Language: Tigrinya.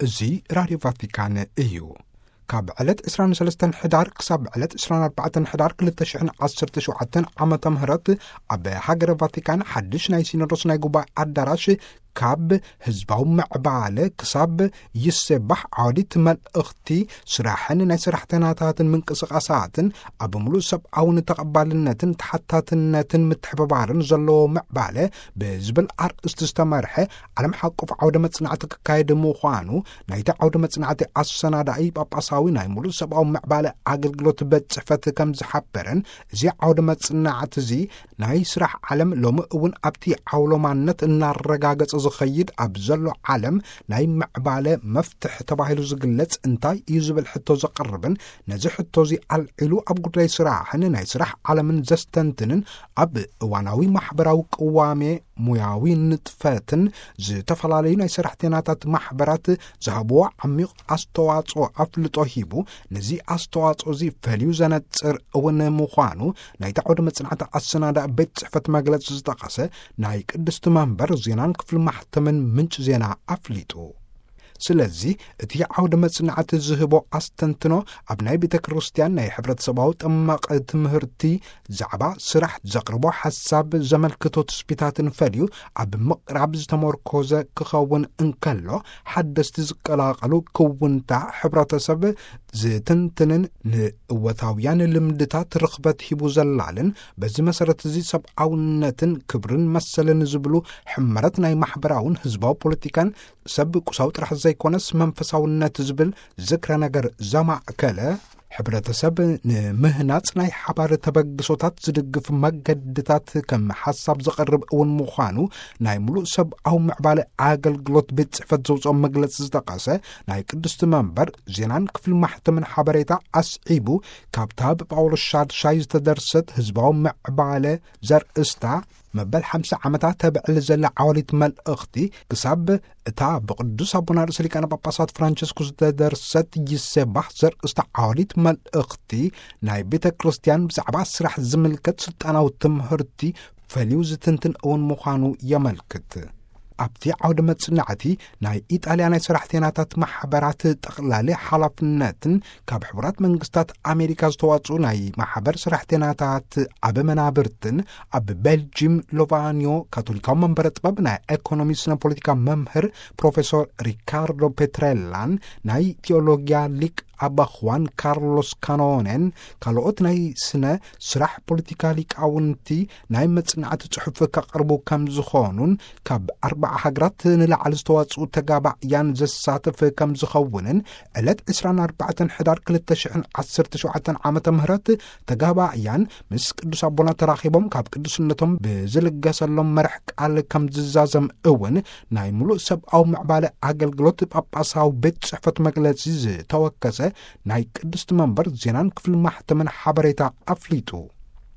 እዚ ራድዮ ቫቲካን እዩ። ካብ ዕለት ዕስራን ሰለስተን ሕዳር ክሳብ ዕለት ዕስራን ኣርባዕተን ሕዳር ክልተ ሽሕን ዓሰርተ ሸውዓተን ዓመተ ምህረት ኣብ ሃገረ ቫቲካን ሓድሽ ናይ ሲኖዶስ ናይ ጉባኤ ኣዳራሽ ካብ ህዝባዊ ምዕባለ ክሳብ ይሴባሕ ዓወዲት መልእኽቲ ስራሕን ናይ ሰራሕተኛታትን ምንቅስቓሳትን ኣብ ምሉእ ሰብኣውን ተቐባልነትን ተሓታትነትን ምትሕብባርን ዘለዎ ምዕባለ ብዝብል ኣርእስቲ ዝተመርሐ ዓለም ሓቆፍ ዓውደ መጽናዕቲ ክካየድ ምዃኑ ናይቲ ዓውደ መጽናዕቲ ኣሰናዳኢ ጳጳሳዊ ናይ ምሉእ ሰብኣዊ ምዕባለ ኣገልግሎት ቤት ጽሕፈት ከም ዝሓበረን፣ እዚ ዓውደ መጽናዕቲ እዚ ናይ ስራሕ ዓለም ሎሚ እውን ኣብቲ ዓውሎማነት እናረጋገጸ ዝኸይድ ኣብ ዘሎ ዓለም ናይ ምዕባለ መፍትሕ ተባሂሉ ዝግለጽ እንታይ እዩ ዝብል ሕቶ ዘቕርብን፣ ነዚ ሕቶ እዚ ኣልዒሉ ኣብ ጉዳይ ስራሕን ናይ ስራሕ ዓለምን ዘስተንትንን፣ ኣብ እዋናዊ ማሕበራዊ ቅዋሜ፣ ሙያዊ ንጥፈትን ዝተፈላለዩ ናይ ሰራሕተኛታት ማሕበራት ዝሃብዎ ዓሚቕ ኣስተዋጽኦ ኣፍልጦ ሂቡ፣ ነዚ ኣስተዋጽኦ እዚ ፈልዩ ዘነጽር እውን ምዃኑ ናይቲ ዓውደ መጽናዕቲ ኣሰናዳኢ ቤት ጽሕፈት መግለጺ ዝጠቐሰ ናይ ቅድስቲ መንበር ዜናን ክፍሊ ማሕተምን ምንጭ ዜና ኣፍሊጡ። ስለዚ እቲ ዓውደ መጽናዕቲ ዝህቦ ኣስተንትኖ ኣብ ናይ ቤተ ክርስቲያን ናይ ሕብረተሰባዊ ጠማቂ ትምህርቲ ዛዕባ ስራሕ ዘቕርቦ ሓሳብ ዘመልክቶ ትስቢታትን ፈልዩ ኣብ ምቕራብ ዝተመርኮዘ ክኸውን እንከሎ፣ ሓደስቲ ዝቀላቐሉ ክውንታ ሕብረተሰብ ዝትንትንን ንእወታውያን ልምድታት ርኽበት ሂቡ ዘላልን፣ በዚ መሰረት እዚ ሰብኣውነትን ክብርን መሰልን ዝብሉ ሕመረት ናይ ማሕበራውን ህዝባዊ ፖለቲካን ሰብ ቁሳዊ ጥራሕ ዘይኮነስ መንፈሳውነት ዝብል ዝክረ ነገር ዘማእከለ፣ ሕብረተሰብ ንምህናጽ ናይ ሓባር ተበግሶታት ዝድግፍ መገድታት ከም ሓሳብ ዘቐርብ እውን ምዃኑ ናይ ምሉእ ሰብኣዊ ምዕባለ ኣገልግሎት ቤት ጽሕፈት ዘውፅኦ መግለጺ ዝጠቐሰ ናይ ቅድስቲ መንበር ዜናን ክፍሊ ማሕተምን ሓበሬታ ኣስዒቡ፣ ካብታ ብጳውሎስ ሻድሻይ ዝተደርሰት ህዝባዊ ምዕባለ ዘርእስታ መበል ሓምሳ ዓመታት ተብዕል ዘላ ዓወሊት መልእኽቲ ክሳብ እታ ብቅዱስ ኣቦና ርእሰ ሊቃነ ጳጳሳት ፍራንቸስኮስ ዝተደርሰት ይሴባህ ዘርእስታ ዓወሊት መልእኽቲ ናይ ቤተ ክርስቲያን ብዛዕባ ስራሕ ዝምልከት ስልጣናዊ ትምህርቲ ፈልዩ ዝትንትን እውን ምዃኑ የመልክት። ኣብቲ ዓውደ መጽናዕቲ ናይ ኢጣልያ ናይ ሰራሕተኛታት ማሕበራት ጠቕላሊ ሓላፍነትን ካብ ሕቡራት መንግስታት ኣሜሪካ ዝተዋጽኡ ናይ ማሕበር ሰራሕተኛታት ኣብ መናብርትን ኣብ ቤልጂም ሎቫኒዮ ካቶሊካዊ መንበረ ጥበብ ናይ ኤኮኖሚ ስነ ፖለቲካ መምህር ፕሮፌሶር ሪካርዶ ፔትሬላን ናይ ቴዎሎጊያ ሊቅ ኣባ ኹዋን ካርሎስ ካኖኔን ካልኦት ናይ ስነ ስራሕ ፖለቲካ ሊቃውንቲ ናይ መጽናዕቲ ጽሑፍ ከቕርቡ ከም ዝኾኑን ካብ ኣርባዓ ሃገራት ንላዕሊ ዝተዋጽኡ ተጋባእያን ዘሳትፍ ከም ዝኸውንን ዕለት ዕስራን ኣርባዕተን ሕዳር ክልተ ሽሕን ዓሰርተ ሸውዓተን ዓመተ ምህረት ተጋባእያን ምስ ቅዱስ ኣቦና ተራኺቦም ካብ ቅዱስነቶም ብዝልገሰሎም መርሕ ቃል ከም ዝዛዘም እውን ናይ ምሉእ ሰብኣዊ ምዕባለ ኣገልግሎት ጳጳሳዊ ቤት ጽሕፈት መግለጺ ዝተወከሰ ናይ ቅድስቲ መንበር ዜናን ክፍሊ ማሕተምን ሓበሬታ ኣፍሊጡ።